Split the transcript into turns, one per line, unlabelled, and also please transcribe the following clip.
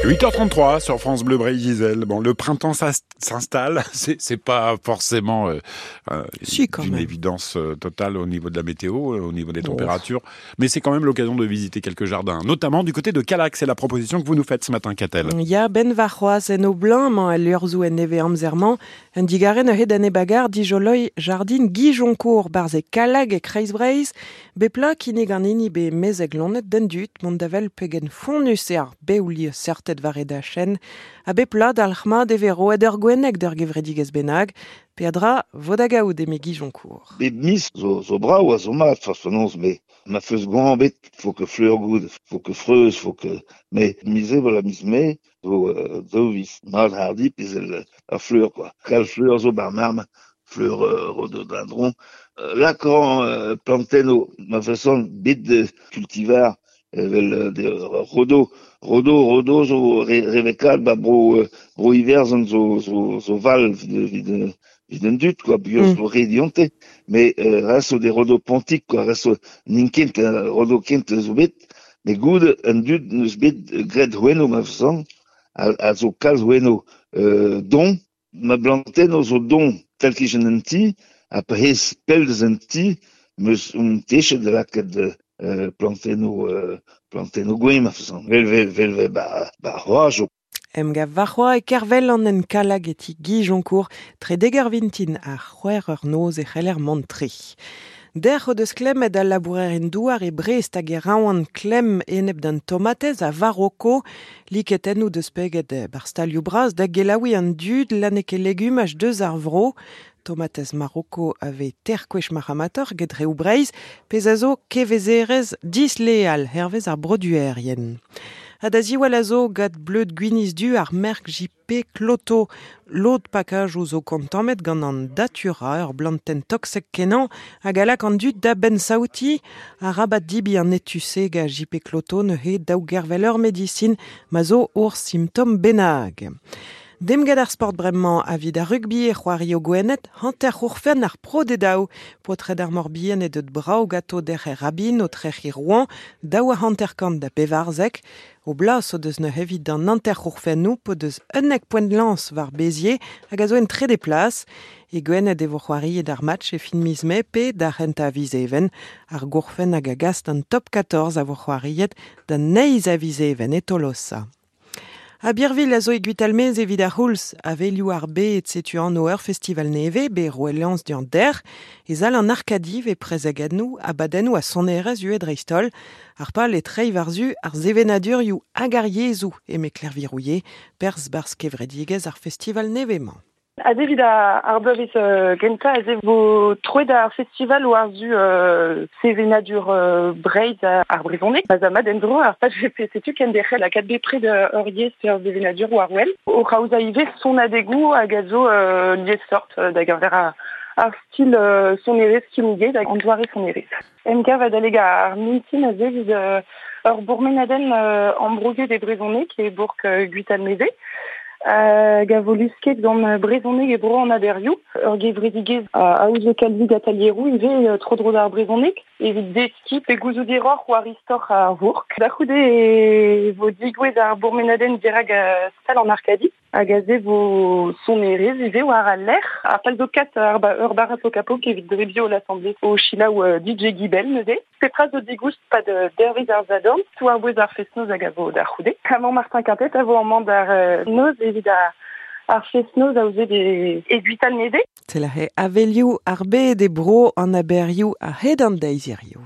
8h33 sur France Bleu Breizh-Izel. Bon, le printemps s'installe, c'est pas forcément
Si, quand
une
même.
évidence totale au niveau de la météo, au niveau des
Oh.
températures, mais c'est quand même l'occasion de visiter quelques jardins, notamment du côté de Callac. C'est la proposition que vous nous faites ce matin, Katell.
Ya ben varc'hoazh en o blanc, mañ al liorzhoù en neve amzer-mañ, un digaren hed an ebagar dijoloi jardin Guy Joncourt barz e Callac e Kreiz-Breizh, bepla kinnig an hini be mezeg lonet d'an dud, mont davel pegen fonnus e ar beouli sertet war e dachen, a bepla dalc'hma de roet ur gwennek d'ur gevredigez bennak, peadra vodagaout eme Guy Joncourt.
Bep mis zo brao a zo mat, fas penaos, me ma feus gant bet, faut que fleur goud, faut que freuz, faut que... Mais mise voilà mis me, zo zo vis mat hardi, pis el, a fleur, quoi. Kal fleur zo bar marm, fleur rhododendron. Là, quand planteno, ma façon, bit de cultivar, vel de rodo, rodo, rodo zo revekal, ba bro hiver zo, zo, zo val vid, vid un dut, quoi, bios zo redionte, mais ras zo de rodo pontik, quoi, ras zo ninkent, rodo kent zo bet, mais goud un dut neus bet gred hueno, ma façon, a zo kalz hueno, don, ma blanteno zo don, tel ki jen un ti, a pehez pel deus un ti, meus un techet de laket de planteno gwen, ma façon. Vel, vel, vel, vel, ba, ba, c'hoaz, o.
Em gav varc'hoa e Kervel an en Callac e ti Guy Joncourt, tre deger vintin a c'hwec'h eur noz e c'heller mont tre. Derc'h o deus klemmet al labourer en douar e Brest hag e raoan klemm enep d'an tomatez a Varoko, liketennoù deus peget bar stalioù bras da gelaouiñ an dud laneke legumaj deus ar vro. Tomatez Maroko ave ter kwech maramator get reoù Breizh, pezh a zo kevezerez disleal hervez ar broduerien. Ha da ziwall a zo gant bleud gwiniz du ar merk JP Cloto. Lod pakaj zo kontammet gant an datura, ur blantenn toksek kenañ, hag a lak an dud da ben saouti, a rabat dibi an etuse ga JP Cloto ne he daou gervel ur medisin, ma zo ur simptom benag. Dem gant ar sport bremañ a vid ar rugby e c'hoari o gwennet, hanter c'hourfen ar pro de daou. Potred ar Morbihan e deut brao gato derc'h er rabin o trec'h i Rouen, daou a hanter kant da pevarzek. O blas o deus ne hevit d'an hanter c'hourfennoù po deus unnek poent lans war Béziers hag a zo en trede plas. E gwennet e vo c'hoari d'ar match e fin miz mae pe d'ar renta a viz even. Ar gourfen hag a gas d'an top 14 a vo c'hoariet d'an neiz a viz even e Tolosa. A Birville a zo e Gwitalmez evit ar c'houlz, a velioù ar bet setu an ur festival neve, be roelans d'an der, e zal an Arkadiv e prezegadnou, a badennou a sonerez ue dreistol, ar pal e trei varzu ar zevenadur hag ar yezhoù, eme Claire Virouillet, perz barz kevredigez ar festival nevemañ.
A evit ar bloavezh gentañ, aze vo troet ar festival war zu sevenadur Breizh ar brezhoneg. Pa za mat en-dro ar paj VP setu ken derc'hel a kat bepred ur yezh pe ur sevenadur war wel. O c'haoza ivez son adegoù hag a zo liessort da geñver ar stil sonerezh kinniget hag an doare sonerezh. Emgav adaleg ar mintin aze evit ur bourmenadenn ambrouget e brezhoneg e bourk Gwitalmeze. Hag a vo lusket gant brezhoneg e bro an aberioù, ur gevredigezh a aozo kalzik atalieroù ivez tro-dro d'ar brezhoneg, evit deskiñ pe gouzout diroc'h war istor ar vourk. Da c'houde e vo digouez ar bourmenadenn dirak stal an Arkadi, hag aze vo sonerezh ivez war al lec'h. Ar pal zo kat ar ur barat o kapok evit drebio l'assemblée o selaou DJ Guibel neuze. Petra zo digoust pa de dervez ar zadorn, tout ar bouez ar fest-noz hag a vo da c'houde. Amañ Martin Quintet a vo amañ d'ar noz evit ar fest-noz a ouzet e Gwitalmeze.
C'est la he avelioù ar bed e bro an aberioù a hed an deiz hiziv.